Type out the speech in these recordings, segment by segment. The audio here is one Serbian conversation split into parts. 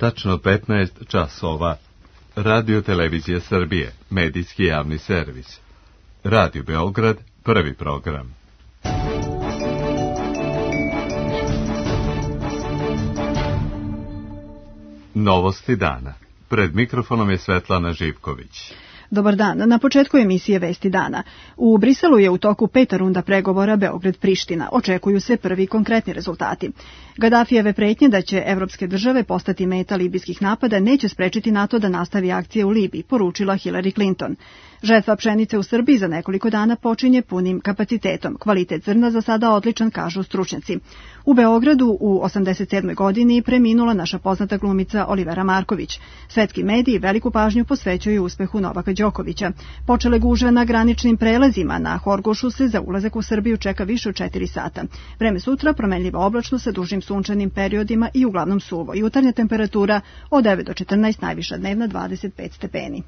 Tačno 15 časova. Radio Televizija Srbije, medijski javni servis. Radio Beograd, prvi program. Novosti dana. Pred mikrofonom je Svetlana Živković. Dobar dan. Na početku emisije Vesti dana. U Briselu je u toku 5. runda pregovora Beograd-Priština. Očekuju se prvi konkretni rezultati. Gadafijeve pretnje da će evropske države postati meta libijskih napada neće sprečiti NATO da nastavi akcije u Libiji, poručila Hillary Clinton. Žetva pšenice u Srbiji za nekoliko dana počinje punim kapacitetom. Kvalitet zrna za sada odličan, kažu stručnjaci. U Beogradu u 87. godini preminula naša poznata glumica Olivera Marković. Svetski mediji veliku pažnju posvećuju uspehu Novaka Đokovića. Počele gužve na graničnim prelazima. Na Horgošu se za ulazak u Srbiju čeka više od 4 sata. Vreme sutra promenljivo oblačno sa dužim sunčanim periodima i uglavnom suvo. Jutarnja temperatura od 9 do 14, najviša dnevna 25 stepeni.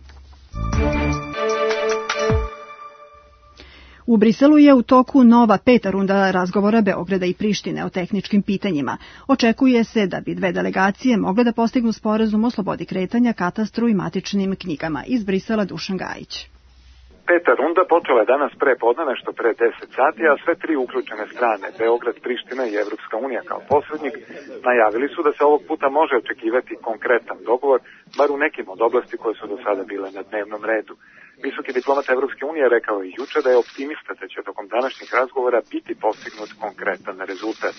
U Briselu je u toku nova 5. runda razgovora Beograda i Prištine o tehničkim pitanjima. Očekuje se da bi dve delegacije mogle da postignu sporazum o slobodi kretanja, katastru i matičnim knjigama. Iz Brisela Dušan Gajić. 5. runda počela je danas pre podne, nešto pre 10 sati, a sve tri uključene strane, Beograd, Priština i Evropska unija kao posrednik, najavili su da se ovog puta može očekivati konkretan dogovor, bar u nekim od oblasti koje su do sada bile na dnevnom redu. Visoki diplomat Evropske unije rekao i juče da je optimista da će tokom današnjih razgovora biti postignut konkretan rezultat.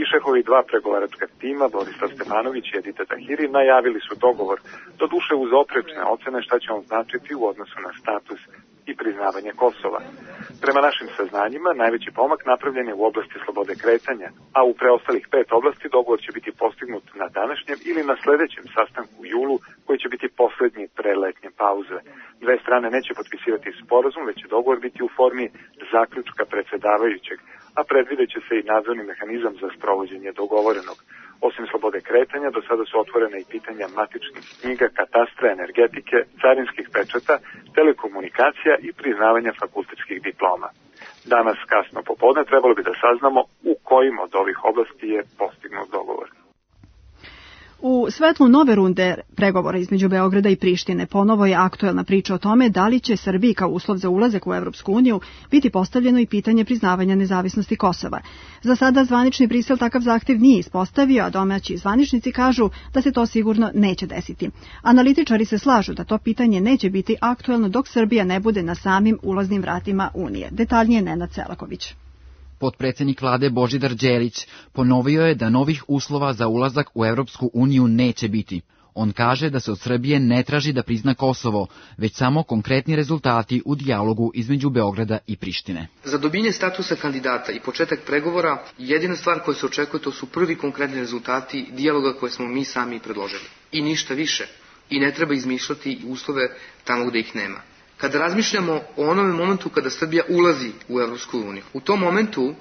I šefovi dva pregovaračka tima, Borislav Stefanović i Edita Tahiri, najavili su dogovor, doduše uz oprečne ocene šta će on značiti u odnosu na status i priznavanje Kosova. Prema našim saznanjima, najveći pomak napravljen je u oblasti slobode kretanja, a u preostalih 5 oblasti dogovor će biti postignut na današnjem ili na sledećem sastanku u julu, koji će biti poslednji pre letnje pauze. Dve strane neće potpisivati sporazum, već će dogovor biti u formi zaključka predsedavajućeg, a predvideće se i nadzorni mehanizam za sprovođenje dogovorenog. Osim slobode kretanja, do sada su otvorene i pitanja matičnih knjiga, katastra, energetike, carinskih pečata, telekomunikacija i priznavanja fakultetskih diploma. Danas kasno popodne trebalo bi da saznamo u kojim od ovih oblasti je postignut dogovor. U svetlu nove runde pregovora između Beograda i Prištine ponovo je aktuelna priča o tome da li će Srbiji kao uslov za ulazak u Evropsku uniju biti postavljeno i pitanje priznavanja nezavisnosti Kosova. Za sada zvanični Brisel takav zahtev nije ispostavio, a domaći zvaničnici kažu da se to sigurno neće desiti. Analitičari se slažu da to pitanje neće biti aktuelno dok Srbija ne bude na samim ulaznim vratima Unije. Detaljnije Nenad Selaković. Potpredsjednik vlade Božidar Đelić ponovio je da novih uslova za ulazak u Evropsku uniju neće biti. On kaže da se od Srbije ne traži da prizna Kosovo, već samo konkretni rezultati u dijalogu između Beograda i Prištine. Za dobijanje statusa kandidata i početak pregovora, jedina stvar koja se očekuje to su prvi konkretni rezultati dijaloga koje smo mi sami predložili. I ništa više. I ne treba izmišljati uslove tamo gde ih nema. Kada razmišljamo o onome momentu kada Srbija ulazi u Evropsku uniju, u tom momentu,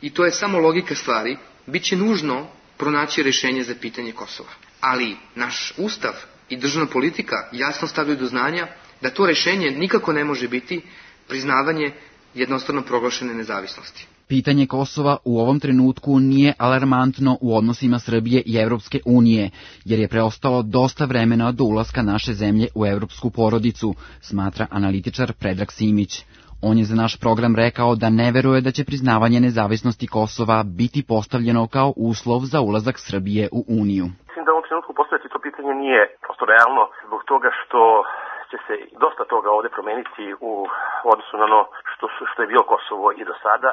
i to je samo logika stvari, bit će nužno pronaći rešenje za pitanje Kosova. Ali naš ustav i državna politika jasno stavljaju do znanja da to rešenje nikako ne može biti priznavanje jednostavno proglašene nezavisnosti. Pitanje Kosova u ovom trenutku nije alarmantno u odnosima Srbije i Evropske unije, jer je preostalo dosta vremena do ulaska naše zemlje u evropsku porodicu, smatra analitičar Predrag Simić. On je za naš program rekao da ne veruje da će priznavanje nezavisnosti Kosova biti postavljeno kao uslov za ulazak Srbije u Uniju. Mislim da u ovom trenutku postaviti to pitanje nije prosto realno zbog toga što će se dosta toga ovde promeniti u odnosu na ono što je bilo Kosovo i do sada.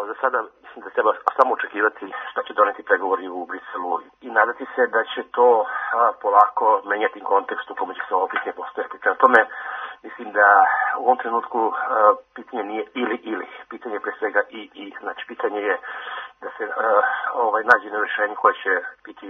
Za sada mislim da treba samo očekivati šta će doneti pregovori u Briselu i nadati se da će to polako menjati kontekst u kome će se ovo pitanje postaviti. Prema tome, mislim da u ovom trenutku pitanje nije ili. Pitanje je pre svega i. Znači, pitanje je da se nađe na rešenje koje će biti,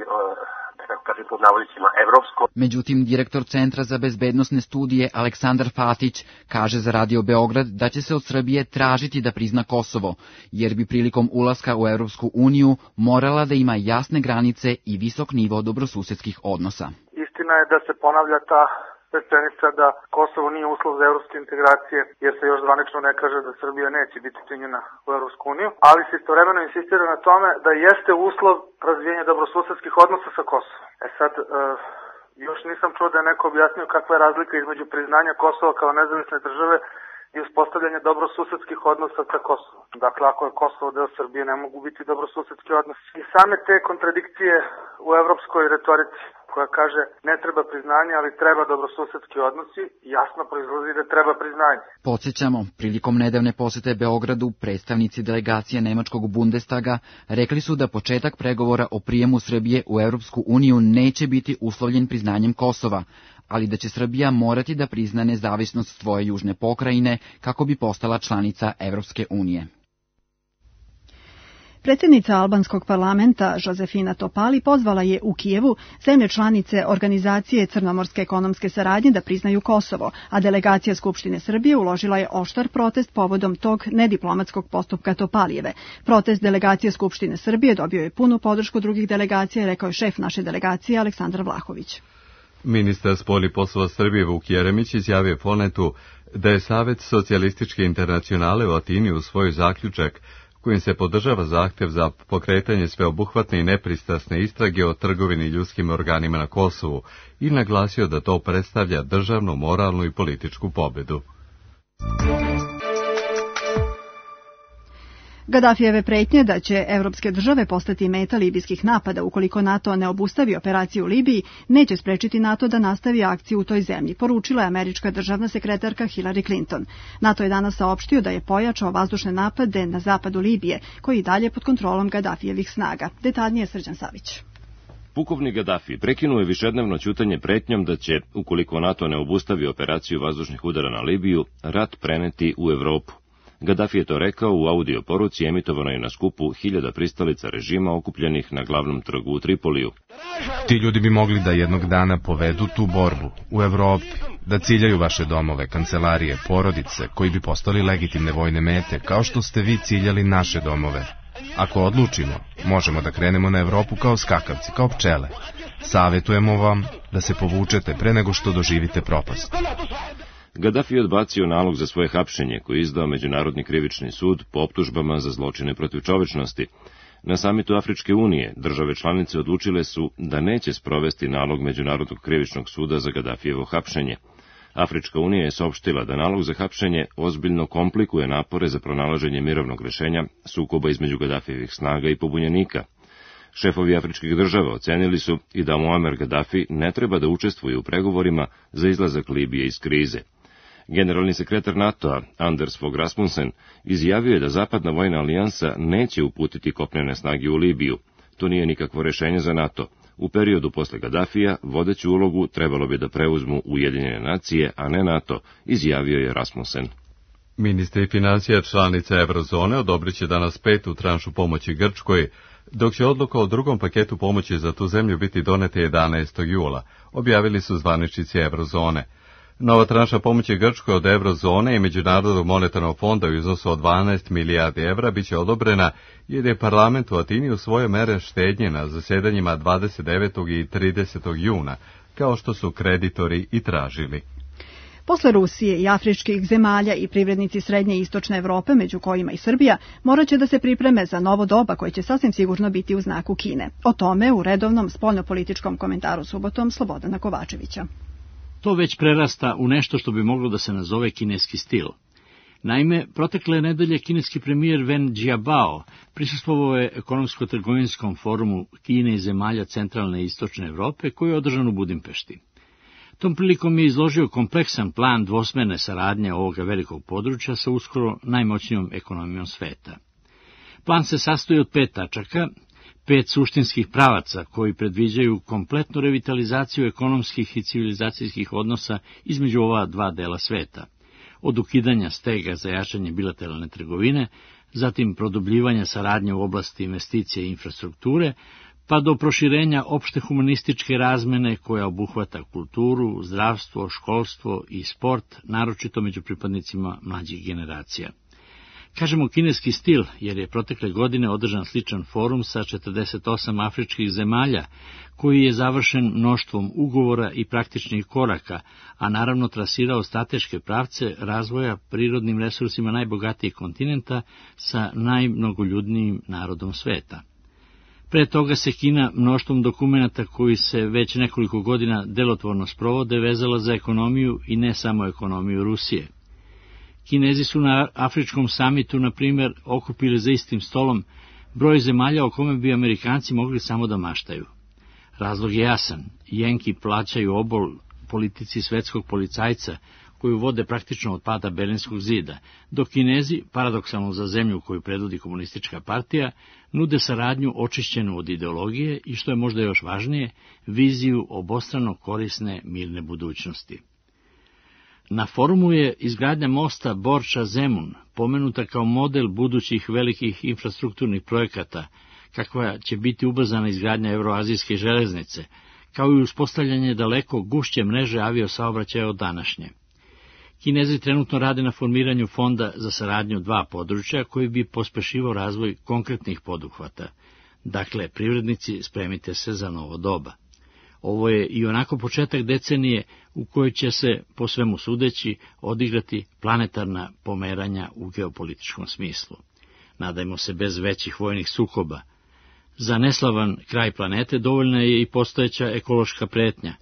da kako kažem, pod navodnicima evropsko. Međutim, direktor Centra za bezbednosne studije Aleksandar Fatić kaže za Radio Beograd da će se od Srbije tražiti da prizna Kosovo, jer bi prilikom ulaska u Evropsku uniju morala da ima jasne granice i visok nivo dobrosusedskih odnosa. Istina je da se ponavlja ta rečenica da Kosovo nije uslov za evropske integracije, jer se još zvanično ne kaže da Srbija neće biti primljena u Evropsku uniju, ali se istovremeno insistira na tome da jeste uslov razvijenja dobrosusedskih odnosa sa Kosovom. Sad, još nisam čuo da je neko objasnio kakva je razlika između priznanja Kosova kao nezavisne države i uspostavljanje dobrosusedskih odnosa sa Kosovom. Dakle, ako je Kosovo deo Srbije, ne mogu biti dobrosusedski odnosi. I same te kontradikcije u evropskoj retorici, koja kaže ne treba priznanje, ali treba dobrosusedski odnosi, jasno proizlazi da treba priznanje. Podsjećamo, prilikom nedavne posete Beogradu, predstavnici delegacije nemačkog Bundestaga rekli su da početak pregovora o prijemu Srbije u Evropsku uniju neće biti uslovljen priznanjem Kosova, ali da će Srbija morati da prizna nezavisnost svoje južne pokrajine kako bi postala članica Evropske unije. Predsjednica albanskog parlamenta Josefina Topali pozvala je u Kijevu zemlje članice Organizacije crnomorske ekonomske saradnje da priznaju Kosovo, a delegacija Skupštine Srbije uložila je oštar protest povodom tog nediplomatskog postupka Topalijeve. Protest delegacije Skupštine Srbije dobio je punu podršku drugih delegacija, rekao je šef naše delegacije Aleksandar Vlahović. Ministar spoljnih poslova Srbije Vuk Jeremić izjavio Fonetu da je Savet socijalističke internacionale u Atini usvojio zaključak kojim se podržava zahtjev za pokretanje sveobuhvatne i nepristrasne istrage o trgovini ljudskim organima na Kosovu i naglasio da to predstavlja državnu, moralnu i političku pobedu. Gadafijeve pretnje da će evropske države postati meta libijskih napada ukoliko NATO ne obustavi operaciju u Libiji, neće sprečiti NATO da nastavi akciju u toj zemlji, poručila je američka državna sekretarka Hillary Clinton. NATO je danas saopštio da je pojačao vazdušne napade na zapadu Libije, koji i dalje pod kontrolom Gadafijevih snaga. Detaljnije Srđan Savić. Pukovnik Gadafi prekinuo je višednevno ćutanje pretnjom da će, ukoliko NATO ne obustavi operaciju vazdušnih udara na Libiju, rat preneti u Evropu. Gadafi je to rekao u audio poruci emitovanoj na skupu 1000 pristalica režima okupljenih na glavnom trgu u Tripoliju. Ti ljudi bi mogli da jednog dana povedu tu borbu u Evropi, da ciljaju vaše domove, kancelarije, porodice, koji bi postali legitimne vojne mete, kao što ste vi ciljali naše domove. Ako odlučimo, možemo da krenemo na Evropu kao skakavci, kao pčele. Savetujemo vam da se povučete pre nego što doživite propast. Gadafi je odbacio nalog za svoje hapšenje koji je izdao Međunarodni krivični sud po optužbama za zločine protiv čovečnosti. Na samitu Afričke unije države članice odlučile su da neće sprovesti nalog Međunarodnog krivičnog suda za Gadafijevo hapšenje. Afrička unija je saopštila da nalog za hapšenje ozbiljno komplikuje napore za pronalaženje mirovnog rešenja sukoba između Gadafijevih snaga i pobunjenika. Šefovi afričkih država ocenili su i da Muammar Gaddafi ne treba da učestvuje u pregovorima za izlazak Libije iz krize. Generalni sekretar NATO-a, Anders Fogh Rasmussen, izjavio je da Zapadna vojna alijansa neće uputiti kopnene snage u Libiju. To nije nikakvo rešenje za NATO. U periodu posle Gaddafija vodeću ulogu trebalo bi da preuzmu Ujedinjene nacije, a ne NATO, izjavio je Rasmussen. Ministri financija članica Eurozone odobrit će danas 5. tranšu pomoći Grčkoj, dok će odluka o drugom paketu pomoći za tu zemlju biti donete 11. jula, objavili su zvaničnici Eurozone. Nova tranša pomoći Grčkoj od Eurozone i Međunarodnog monetarnog fonda u iznosu od 12 milijardi evra biće odobrena jer je parlament u Atini usvojio mere štednje na zasedanjima 29. i 30. juna, kao što su kreditori i tražili. Posle Rusije i afričkih zemalja i privrednici srednje i istočne Evrope, među kojima i Srbija, morat će da se pripreme za novo doba koje će sasvim sigurno biti u znaku Kine. O tome u redovnom spoljnopolitičkom komentaru subotom Slobodana Kovačevića. To već prerasta u nešto što bi moglo da se nazove kineski stil. Naime, protekle nedelje kineski premijer Wen Jiabao prisustvovao je ekonomsko-trgovinskom forumu Kine i zemalja centralne i istočne Evrope koji je održan u Budimpešti. Tom prilikom je izložio kompleksan plan dvosmerne saradnje ovoga velikog područja sa uskoro najmoćnijom ekonomijom sveta. Plan se sastoji od 5 tačaka, 5 suštinskih pravaca koji predviđaju kompletnu revitalizaciju ekonomskih i civilizacijskih odnosa između ova dva dela sveta, od ukidanja stega za jačanje bilateralne trgovine, zatim produbljivanja saradnje u oblasti investicije i infrastrukture, pa do proširenja opšte humanističke razmene koja obuhvata kulturu, zdravstvo, školstvo i sport, naročito među pripadnicima mlađih generacija. Kažemo kineski stil, jer je protekle godine održan sličan forum sa 48 afričkih zemalja, koji je završen mnoštvom ugovora i praktičnih koraka, a naravno trasirao strateške pravce razvoja prirodnim resursima najbogatijeg kontinenta sa najmnogoljudnijim narodom sveta. Pre toga se Kina mnoštvom dokumenata koji se već nekoliko godina delotvorno sprovode vezala za ekonomiju i ne samo ekonomiju Rusije. Kinezi su na afričkom samitu, na primjer, okupili za istim stolom broj zemalja o kome bi Amerikanci mogli samo da maštaju. Razlog je jasan. Jenki plaćaju obol politici svetskog policajca, koju vode praktično od pada Berlinskog zida, dok Kinezi, paradoksalno za zemlju koju predvodi komunistička partija, nude saradnju očišćenu od ideologije i, što je možda još važnije, viziju obostrano korisne mirne budućnosti. Na forumu je izgradnja mosta Borča-Zemun pomenuta kao model budućih velikih infrastrukturnih projekata, kakva će biti ubrzana izgradnja Evroazijske železnice, kao i uspostavljanje daleko gušće mreže aviosaobraćaja od današnje. Kinezi trenutno rade na formiranju fonda za saradnju dva područja koji bi pospešivao razvoj konkretnih poduhvata. Dakle, privrednici, spremite se za novo doba. Ovo je i onako početak decenije u kojoj će se, po svemu sudeći, odigrati planetarna pomeranja u geopolitičkom smislu. Nadajmo se bez većih vojnih sukoba. Za neslavan kraj planete dovoljna je i postojeća ekološka pretnja.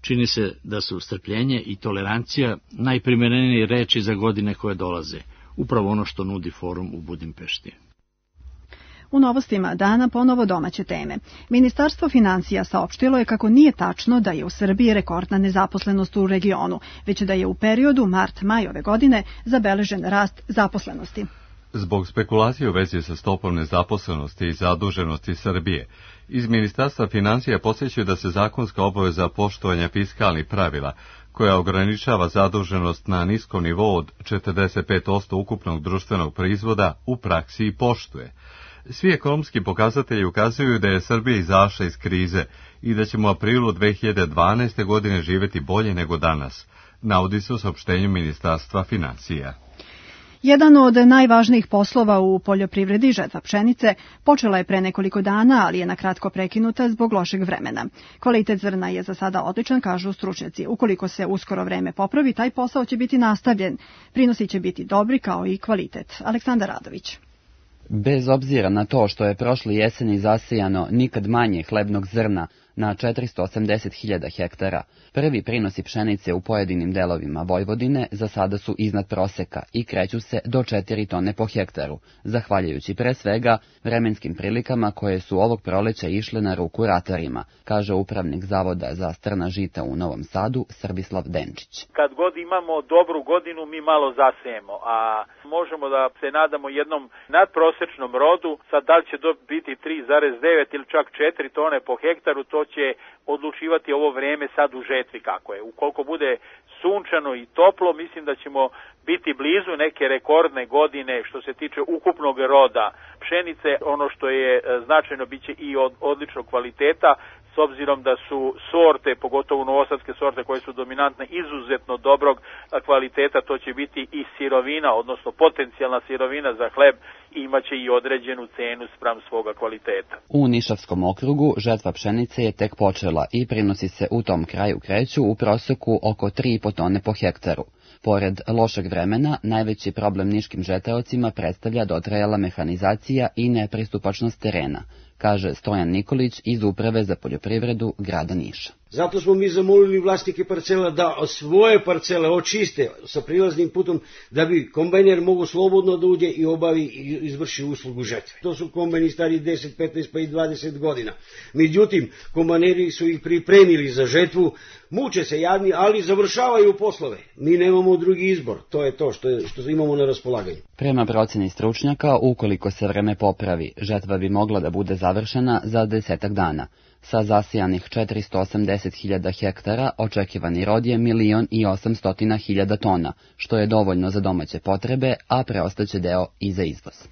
Čini se da su strpljenje i tolerancija najprimerenije reči za godine koje dolaze, upravo ono što nudi forum u Budimpešti. U novostima dana ponovo domaće teme. Ministarstvo financija saopštilo je kako nije tačno da je u Srbiji rekordna nezaposlenost u regionu, već da je u periodu mart-maj ove godine zabeležen rast zaposlenosti. Zbog spekulacije u vezi sa stopom nezaposlenosti i zaduženosti Srbije, iz Ministarstva financija podsjećaju da se zakonska obaveza poštovanja fiskalnih pravila, koja ograničava zaduženost na niskom nivou od 45% ukupnog društvenog proizvoda, u praksi i poštuje. Svi ekonomski pokazatelji ukazuju da je Srbija izašla iz krize i da ćemo u aprilu 2012. godine živjeti bolje nego danas, navodi se u saopštenju Ministarstva financija. Jedan od najvažnijih poslova u poljoprivredi, žetva pšenice, počela je pre nekoliko dana, ali je nakratko prekinuta zbog lošeg vremena. Kvalitet zrna je za sada odličan, kažu stručnjaci. Ukoliko se uskoro vreme popravi, taj posao će biti nastavljen. Prinosi će biti dobri kao i kvalitet. Aleksandar Radović. Bez obzira na to što je prošle jeseni zasijano nikad manje hlebnog zrna na 480.000 hektara, prvi prinosi pšenice u pojedinim delovima Vojvodine za sada su iznad proseka i kreću se do 4 tone po hektaru, zahvaljujući pre svega vremenskim prilikama koje su ovog proleća išle na ruku ratarima, kaže upravnik Zavoda za strna žita u Novom Sadu Srbislav Denčić. Kad god imamo dobru godinu, mi malo zasejemo, a možemo da se nadamo jednom nadprosečnom rodu. Sad da li će biti 3,9 ili čak 4 tone po hektaru, to će odlučivati ovo vreme sad u žetvi kako je. Ukoliko bude sunčano i toplo, mislim da ćemo biti blizu neke rekordne godine što se tiče ukupnog roda pšenice. Ono što je značajno biće i od odličnog kvaliteta, s obzirom da su sorte, pogotovo novosadske sorte koje su dominantne, izuzetno dobrog kvaliteta, to će biti i sirovina, odnosno potencijalna sirovina za hleb, imaće i određenu cenu spram svoga kvaliteta. U Nišavskom okrugu žetva pšenice je tek počela i prinosi se u tom kraju kreću u proseku oko 3,5 tone po hektaru. Pored lošeg vremena, najveći problem niškim žetaocima predstavlja dotrajala mehanizacija i nepristupačnost terena, kaže Stojan Nikolić iz Uprave za poljoprivredu grada Niša. Zato smo mi zamolili vlasnike parcela da svoje parcele očiste sa prilaznim putom, da bi kombajner mogu slobodno da uđe i obavi i izvrši uslugu žetve. To su kombajni stari 10, 15 pa i 20 godina. Međutim, kombajneri su ih pripremili za žetvu, muče se jadni, ali završavaju poslove. Mi nemamo drugi izbor, to je to što imamo na raspolaganju. Prema proceni stručnjaka, ukoliko se vreme popravi, žetva bi mogla da bude završena za 10 dana. Sa zasijanih 480.000 hektara očekivani rod je 1.800.000 tona, što je dovoljno za domaće potrebe, a preostaće deo i za izvoz.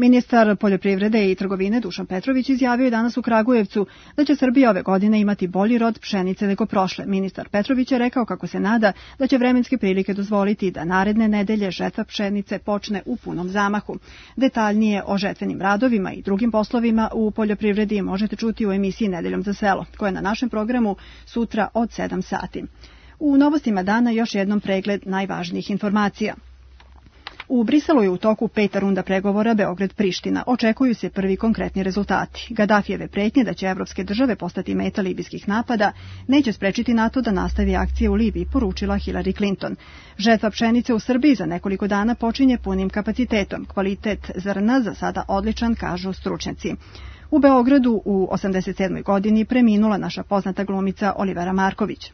Ministar poljoprivrede i trgovine Dušan Petrović izjavio je danas u Kragujevcu da će Srbija ove godine imati bolji rod pšenice nego prošle. Ministar Petrović je rekao kako se nada da će vremenske prilike dozvoliti da naredne nedelje žetva pšenice počne u punom zamahu. Detaljnije o žetvenim radovima i drugim poslovima u poljoprivredi možete čuti u emisiji Nedeljom za selo, koja je na našem programu sutra od 7 sati. U novostima dana još jednom pregled najvažnijih informacija. U Briselu je u toku 5. runda pregovora Beograd-Priština. Očekuju se prvi konkretni rezultati. Gadafijeve pretnje da će evropske države postati meta libijskih napada neće sprečiti NATO da nastavi akcije u Libiji, poručila Hillary Clinton. Žetva pšenice u Srbiji za nekoliko dana počinje punim kapacitetom. Kvalitet zrna za sada odličan, kažu stručnjaci. U Beogradu u 87. godini preminula naša poznata glumica Olivera Marković.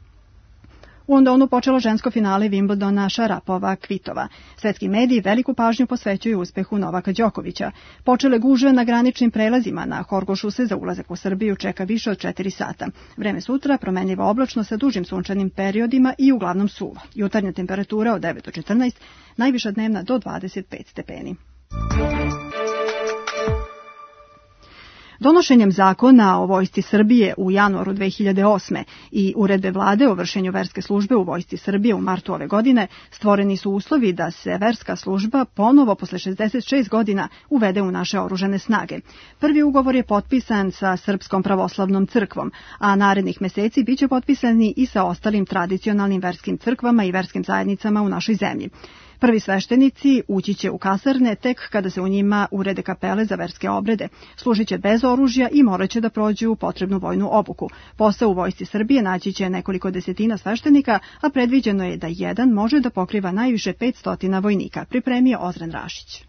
U Londonu počelo žensko finale Wimbledona Šarapova-Kvitova. Svetski mediji veliku pažnju posvećuju uspehu Novaka Đokovića. Počele gužve na graničnim prelazima na Horgošu se za ulazak u Srbiju čeka više od 4 sata. Vreme sutra promenljivo oblačno sa dužim sunčanim periodima i uglavnom suvo. Jutarnja temperatura od 9 do 14, najviša dnevna do 25 stepeni. Donošenjem zakona o Vojsci Srbije u januaru 2008. i uredbe vlade o vršenju verske službe u Vojsci Srbije u martu ove godine stvoreni su uslovi da se verska služba ponovo posle 66 godina uvede u naše oružane snage. Prvi ugovor je potpisan sa Srpskom pravoslavnom crkvom, a narednih meseci biće potpisani i sa ostalim tradicionalnim verskim crkvama i verskim zajednicama u našoj zemlji. Prvi sveštenici ući će u kasarne tek kada se u njima urede kapele za verske obrede. Služit će bez oružja i morat će da prođu potrebnu vojnu obuku. Posao u Vojsci Srbije naći će nekoliko desetina sveštenika, a predviđeno je da jedan može da pokriva najviše 500 vojnika, pripremio Ozren Rašić.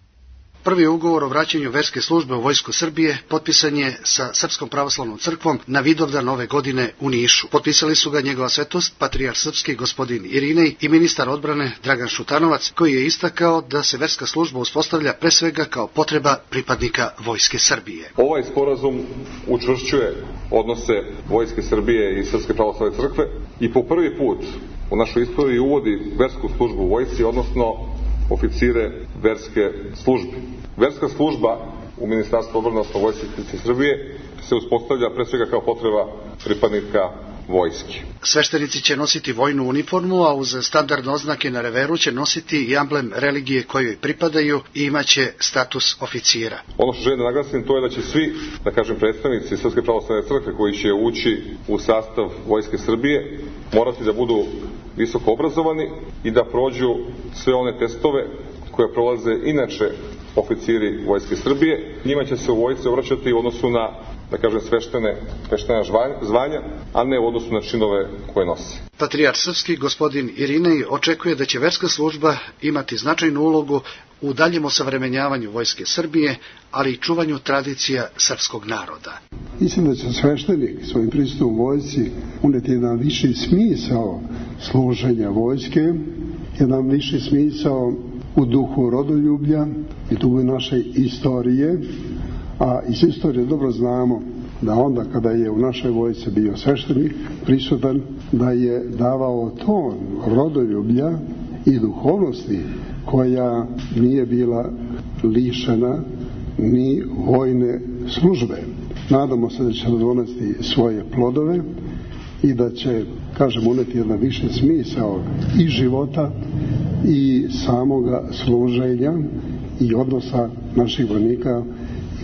Prvi ugovor o vraćanju verske službe u Vojsku Srbije potpisan je sa Srpskom pravoslavnom crkvom na Vidovdan ove godine u Nišu. Potpisali su ga njegova svetost, patrijarh srpski gospodin Irinej i ministar odbrane Dragan Šutanovac, koji je istakao da se verska služba uspostavlja pre svega kao potreba pripadnika Vojske Srbije. Ovaj sporazum učvršćuje odnose Vojske Srbije i Srpske pravoslavne crkve i po prvi put u našoj istoriji uvodi versku službu u vojsci, odnosno oficire verske službe. Verska služba u Ministarstvu odbrane odnosno Vojske Srbije se uspostavlja pre svega kao potreba pripadnika vojske. Sveštenici će nositi vojnu uniformu, a uz standardne oznake na reveru će nositi i amblem religije kojoj pripadaju i imaće status oficira. Ono što želim da naglasim to je da će svi, da kažem, predstavnici Srpske pravoslavne crkve koji će ući u sastav Vojske Srbije morati da budu visoko obrazovani i da prođu sve one testove koje prolaze inače oficiri Vojske Srbije. Njima će se u vojsci obraćati u odnosu na, da kažem, sveštena zvanja, a ne u odnosu na činove koje nose. Patrijarh srpski gospodin Irinej očekuje da će verska služba imati značajnu ulogu u daljem osavremenjavanju Vojske Srbije, ali i čuvanju tradicija srpskog naroda. Mislim da će sveštenik svojim prisustvom vojsci uneti jedan viši smisao služenja vojske, jedan viši smisao u duhu rodoljublja i duhu naše istorije, a iz istorije dobro znamo da onda kada je u našoj vojsci bio sveštenik prisutan, da je davao ton rodoljublja i duhovnosti koja nije bila lišena ni vojne službe. Nadamo se da će donesti svoje plodove i da će, kažem, uneti jedan viši smisao i života i samoga služenja i odnosa naših vojnika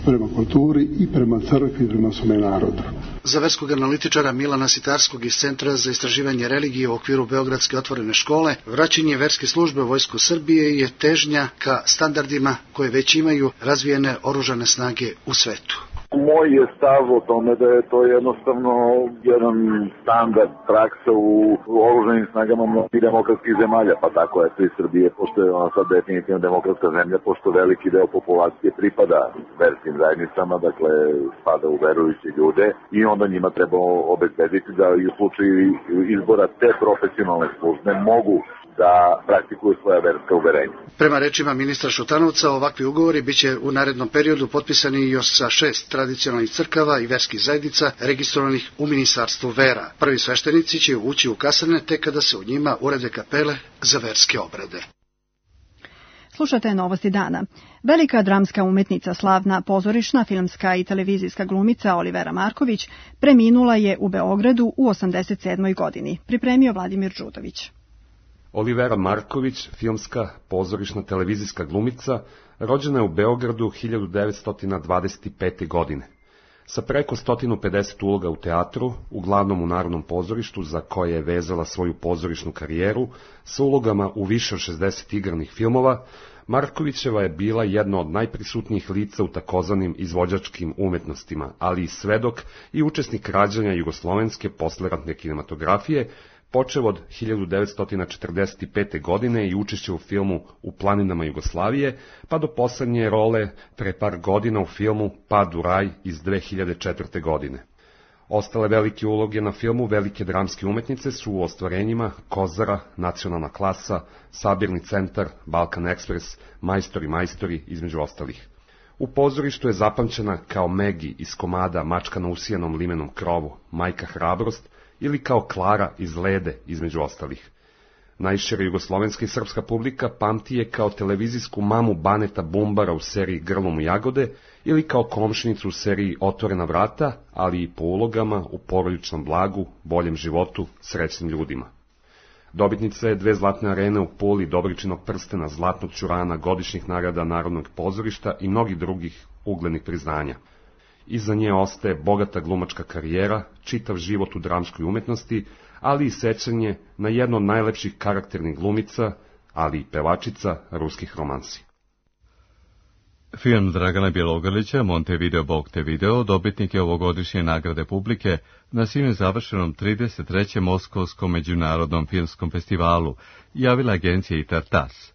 prema kulturi i prema crkvi i prema svome narodu. Za verskog analitičara Milana Sitarskog iz Centra za istraživanje religije u okviru Beogradske otvorene škole, vraćanje verske službe u Vojsku Srbije je težnja ka standardima koje već imaju razvijene oružane snage u svetu. Moj je stav o tome da je to jednostavno jedan standard praksa u oružanim snagama mnogih demokratskih zemalja, pa tako je i Srbije, pošto je ona sad definitivno demokratska zemlja, pošto veliki deo populacije pripada verskim zajednicama, dakle spada u verujuće ljude i onda njima treba obezbediti da i u slučaju izbora te profesionalne službe mogu da praktikuju svoja verska uverenja. Prema rečima ministra Šutanovca, ovakvi ugovori biće u narednom periodu potpisani još sa 6 tradicionalnih crkava i verskih zajednica registrovanih u Ministarstvu vera. Prvi sveštenici će ući u kasarne tek kada se u njima urede kapele za verske obrede. Slušate Novosti dana. Velika dramska umetnica, slavna pozorišna, filmska i televizijska glumica Olivera Marković preminula je u Beogradu u 87. godini. Pripremio Vladimir Đudović. Olivera Marković, filmska, pozorišna, televizijska glumica, rođena je u Beogradu 1925. godine. Sa preko 150 uloga u teatru, uglavnom u Narodnom pozorištu, za koje je vezala svoju pozorišnu karijeru, sa ulogama u više od 60 igranih filmova, Markovićeva je bila jedna od najprisutnijih lica u takozvanim izvođačkim umetnostima, ali i svedok i učesnik rađanja jugoslovenske posleratne kinematografije, počev od 1945. godine i učešće u filmu U planinama Jugoslavije, pa do poslednje role pre par godina u filmu Pad u raj iz 2004. godine. Ostale velike uloge na filmu velike dramske umetnice su u ostvarenjima Kozara, Nacionalna klasa, Sabirni centar, Balkan Ekspres, Majstori, između ostalih. U pozorištu je zapamćena kao Megi iz komada Mačka na usijanom limenom krovu, Majka hrabrost, ili kao Klara iz Lede, između ostalih. Najšira jugoslovenska i srpska publika pamti je kao televizijsku mamu Baneta Bumbara u seriji Grlom u jagode ili kao komšinicu u seriji Otvorena vrata, ali i po ulogama u Porodičnom blagu, Boljem životu, Srećnim ljudima. Dobitnica je 2 zlatne arene u Puli, Dobričinog prstena, Zlatnog ćurana, godišnjih nagrada Narodnog pozorišta i mnogih drugih uglednih priznanja. Iza nje ostaje bogata glumačka karijera, čitav život u dramskoj umetnosti, ali i sećanje na jednu od najlepših karakternih glumica, ali i pevačica ruskih romansi. Film Dragana Bjelogrlića, Montevideo Bog te video, dobitnik je ovogodišnje nagrade publike na sinoć završenom 33. Moskovskom međunarodnom filmskom festivalu, javila agencija ITAR-TASS.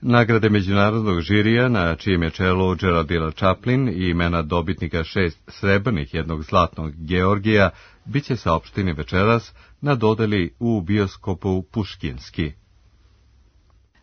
Nagrade međunarodnog žirija, na čijem je čelu Geraldine Chaplin i imena dobitnika 6 srebrnih, 1 zlatnog Georgija, bit će saopšteni večeras na dodeli u bioskopu Puškinski.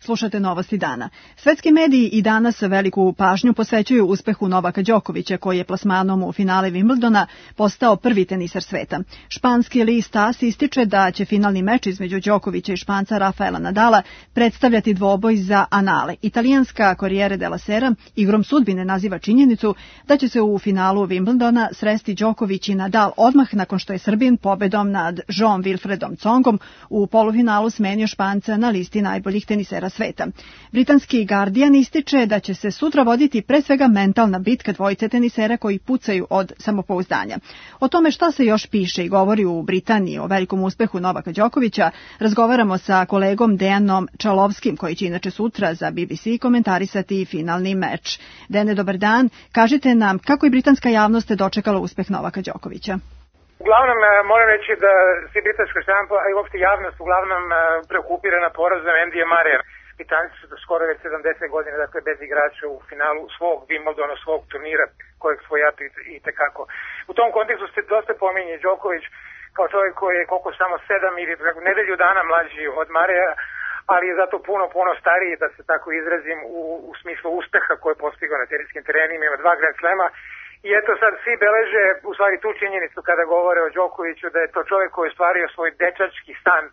Slušate Novosti dana. Svetski mediji i danas veliku pažnju posvećuju uspehu Novaka Đokovića, koji je plasmanom u finale Wimbledona postao prvi tenisar sveta. Španski list AS ističe da će finalni meč između Đokovića i Španca Rafaela Nadala predstavljati dvoboj za anale. Italijanska Corriere della Sera igrom sudbine naziva činjenicu da će se u finalu Wimbledona sresti Đoković i Nadal odmah nakon što je Srbin pobedom nad Jean Wilfredom Tsongom u polufinalu smenio Španca na listi najboljih tenisera sveta. Britanski Guardian ističe da će se sutra voditi pre svega mentalna bitka dvojice tenisera koji pucaju od samopouzdanja. O tome šta se još piše i govori u Britaniji o velikom uspehu Novaka Đokovića razgovaramo sa kolegom Dejanom Čalovskim, koji će inače sutra za BBC komentarisati finalni meč. Dejane, dobar dan. Kažite nam kako je britanska javnost dočekala uspeh Novaka Đokovića? Uglavnom, moram reći da svi britanska štampa, a i uopšte javnost uglavnom preokupirana porazom Andyja Murraya. Britanci su do skoro već 70 godina, dakle bez igrača u finalu svog Wimbledona, svog turnira kojeg svojatu i tekako. U tom kontekstu se dosta pominje Đoković kao čovjek koji je koliko samo 7 ili nedelju dana mlađi od Murraya, ali je zato puno stariji, da se tako izrazim, u smislu uspeha koje je postigao na teniskim terenima, ima 2 Grand Slema. I eto sad svi beleže u stvari tu činjenicu kada govore o Đokoviću, da je to čovjek koji je ostvario svoj dečački san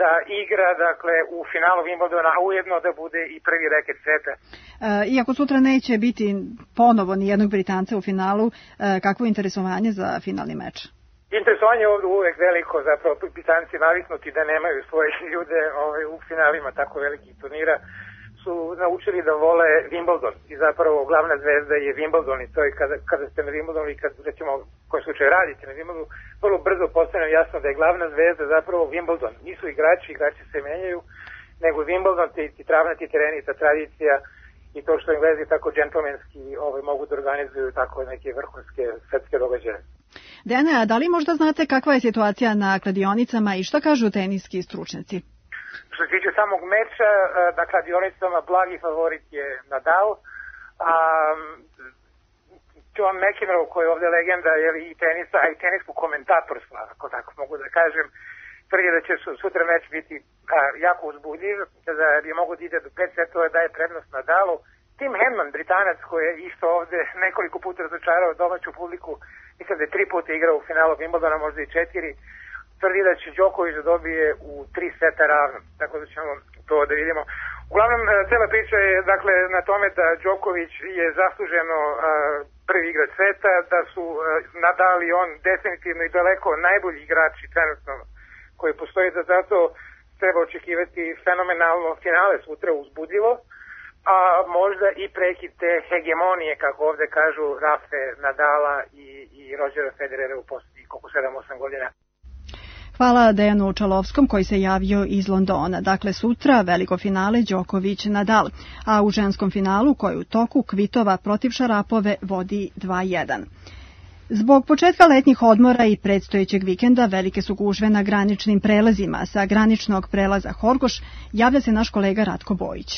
da igra, dakle, u finalu Wimbledona, a ujedno da bude i prvi reket sveta. Iako sutra neće biti ponovo ni jednog Britanca u finalu, kakvo interesovanje za finalni meč? Interesovanje je ovdje uvek veliko, zapravo Britanci naviknuti da nemaju svoje ljude u finalima tako velikih turnira, su naučili da vole Wimbledon i zapravo glavna zvezda je Wimbledon i to je kada ste na Wimbledonu i kad recimo u kojem slučaju radite na Wimbledonu, vrlo brzo postane jasno da je glavna zvezda zapravo Wimbledon. Nisu igrači se menjaju, nego Wimbledon, ti travnati tereni, ta tradicija i to što Englezi tako džentlmenski mogu da organizuju tako neke vrhunske svetske događaje. Dejane, a da li možda znate kakva je situacija na kladionicama i šta kažu teniski stručnjaci? Što se tiče samog meča, na kladionicama blagi favorit je Nadal, a John McEnroe, koji je ovdje legenda i tenisa, a i teniskog komentatorstva, ako tako mogu da kažem, tvrdi da će sutra meč biti jako uzbudljiv, da bi mogo da ide do 5 setova, daje prednost Nadalu. Tim Henman, Britanac, koji je isto ovdje nekoliko puta razočarao domaću publiku, mislim da je 3 puta igrao u finalu Wimbledona, možda i 4, tvrdi da će Đoković da dobije u 3 seta ravno, tako da ćemo to da vidimo. Uglavnom, cela priča je dakle na tome da Đoković je zasluženo prvi igrač sveta, da su Nadal i on definitivno i daleko najbolji igrači trenutno koji postoji, da zato treba očekivati fenomenalno finale sutra, uzbudljivo, a možda i prekid te hegemonije, kako ovde kažu, Rafe Nadala i Rodgera Federera u posljednjih 7-8 godina. Hvala Dejanu Čalovskom koji se javio iz Londona. Dakle, sutra veliko finale Đoković-Nadal, a u ženskom finalu koji u toku Kvitova protiv Šarapove vodi 2:1. Zbog početka letnjih odmora i predstojećeg vikenda velike su gužve na graničnim prelazima. Sa graničnog prelaza Horgoš javlja se naš kolega Ratko Bojić.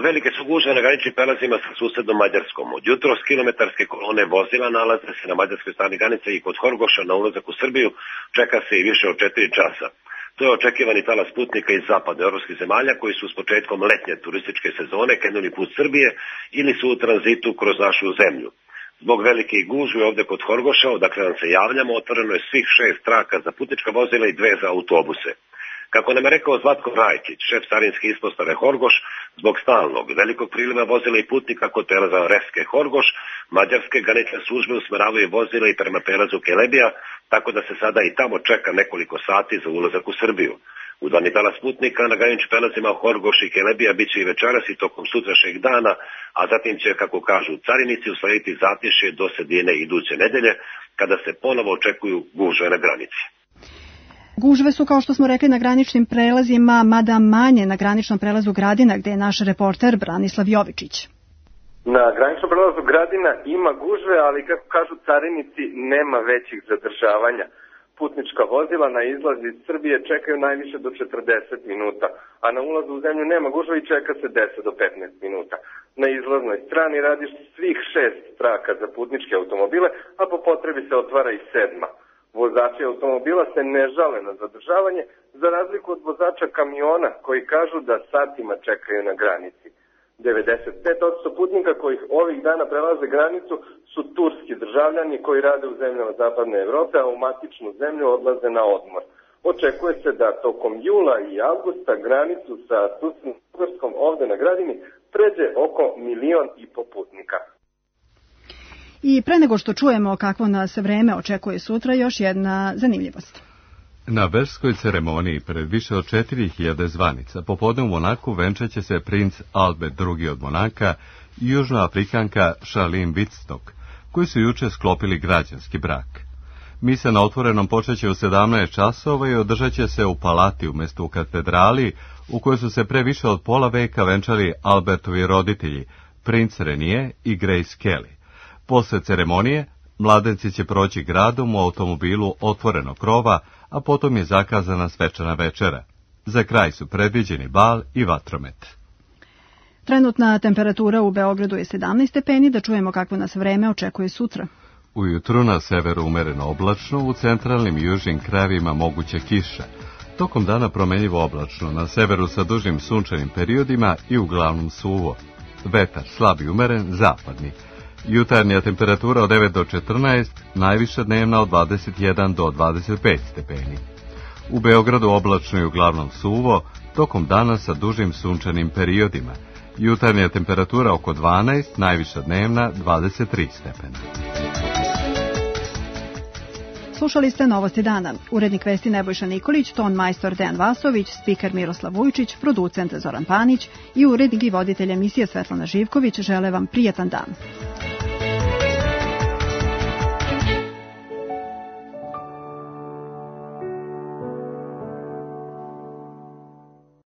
Velike su gužve na graničnim prelazima sa susednom Mađarskom. Od jutros kilometarske kolone vozila nalaze se na mađarskoj strani granice i kod Horgoša na ulazak u Srbiju čeka se i više od 4 časa. To je očekivani talas putnika iz zapadnoevropskih zemalja koji su s početkom letnje turističke sezone krenuli put Srbije ili su u tranzitu kroz našu zemlju. Zbog velikih gužvi ovde kod Horgoša, odakle nam se javljamo, otvoreno je svih 6 traka za putnička vozila i 2 za autobuse. Kako nam je rekao Zlatko Rajčić, šef carinske ispostave Horgoš, zbog stalnog velikog priliva vozila i putnika kod prelaza Reske Horgoš, mađarske granične službe usmeravaju vozila i prema prelazu Kelebija, tako da se sada i tamo čeka nekoliko sati za ulazak u Srbiju. Udani talas putnika na graničnim prelazima Horgoš i Kelebija biće i večeras i tokom sutrašnjeg dana, a zatim će, kako kažu carinici, uslediti zatišje do sredine iduće nedelje, kada se ponovo očekuju gužve na granici. Gužve su, kao što smo rekli, na graničnim prelazima, mada manje na graničnom prelazu Gradina, gde je naš reporter Branislav Jovičić. Na graničnom prelazu Gradina ima gužve, ali kako kažu carinici, nema većih zadržavanja. Putnička vozila na izlaz iz Srbije čekaju najviše do 40 minuta, a na ulazu u zemlju nema gužve i čeka se 10 do 15 minuta. Na izlaznoj strani radi svih 6 traka za putničke automobile, a po potrebi se otvara i 7. Vozači automobila se ne žale na zadržavanje, za razliku od vozača kamiona koji kažu da satima čekaju na granici. 95% putnika kojih ovih dana prelaze granicu su turski državljani koji rade u zemljama zapadne Evrope, a u matičnu zemlju odlaze na odmor. Očekuje se da tokom jula i avgusta granicu sa susednom Bugarskom ovde na Gradini pređe oko 1,5 miliona putnika. I pre nego što čujemo kakvo nas vreme očekuje sutra, još jedna zanimljivost. Na verskoj ceremoniji pred više od 4000 zvanica popodne u Monaku venčaće se princ Albert II od Monaka i južnoafrikanka Charlene Wittstock, koji su juče sklopili građanski brak. Misa na otvorenom počeće u 17 časova i održat će se u palati umjesto u katedrali, u kojoj su se pre više od pola veka venčali Albertovi roditelji, princ Renier i Grace Kelly. Posle ceremonije, mladenci će proći gradom u automobilu otvorenog krova, a potom je zakazana svečana večera. Za kraj su predviđeni bal i vatromet. Trenutna temperatura u Beogradu je 17 stepeni, da čujemo kakvo nas vreme očekuje sutra. Ujutru na severu umereno oblačno, u centralnim i južnim krajevima moguća kiša. Tokom dana promenljivo oblačno, na severu sa dužim sunčanim periodima i uglavnom suvo. Vetar slab i umeren, zapadni. Jutarnja temperatura od 9 do 14, najviša dnevna od 21 do 25 stepeni. U Beogradu oblačno i uglavnom suvo, tokom dana sa dužim sunčanim periodima. Jutarnja temperatura oko 12, najviša dnevna 23 stepena. Slušali ste Novosti dana. Urednik vesti Nebojša Nikolić, ton majstor Dejan Vasović, spiker Miroslav Vujčić, producent Zoran Panić i urednik i voditelj emisije Svetlana Živković žele vam prijatan dan.